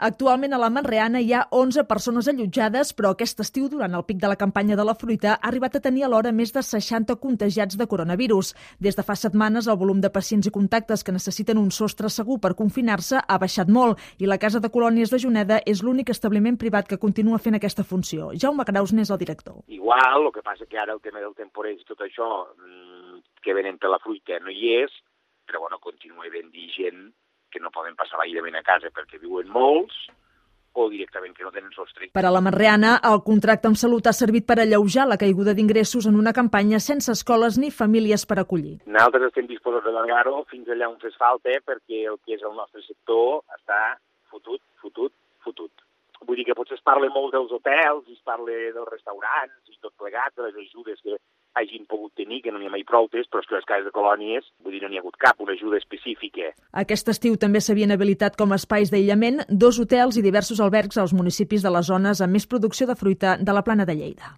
Actualment a la Manreana hi ha 11 persones allotjades, però aquest estiu, durant el pic de la campanya de la fruita, ha arribat a tenir alhora més de 60 contagiats de coronavirus. Des de fa setmanes, el volum de pacients i contactes que necessiten un sostre segur per confinar-se ha baixat molt i la Casa de Colònies de Juneda és l'únic establiment privat que continua fent aquesta funció. Jaume Graus n'és el director. Igual, el que passa que ara el tema del temporeig i tot això que venen per la fruita no hi és, però bueno, continua havent-hi gent que no poden passar l'aïllament a casa perquè viuen molts o directament que no tenen sostre. Per a la Manreana, el contracte amb Salut ha servit per alleujar la caiguda d'ingressos en una campanya sense escoles ni famílies per acollir. Nosaltres estem disposats d'allargar-ho fins allà on fes falta perquè el que és el nostre sector està fotut. Vull dir que potser es parla molt dels hotels, es parla dels restaurants i tot plegat, de les ajudes que hagin pogut tenir, que no n'hi ha mai proutes, però és que les cases de colònies, vull dir, no n'hi ha hagut cap, una ajuda específica. Aquest estiu també s'havien habilitat com a espais d'aïllament 2 hotels i diversos albergs als municipis de les zones amb més producció de fruita de la Plana de Lleida.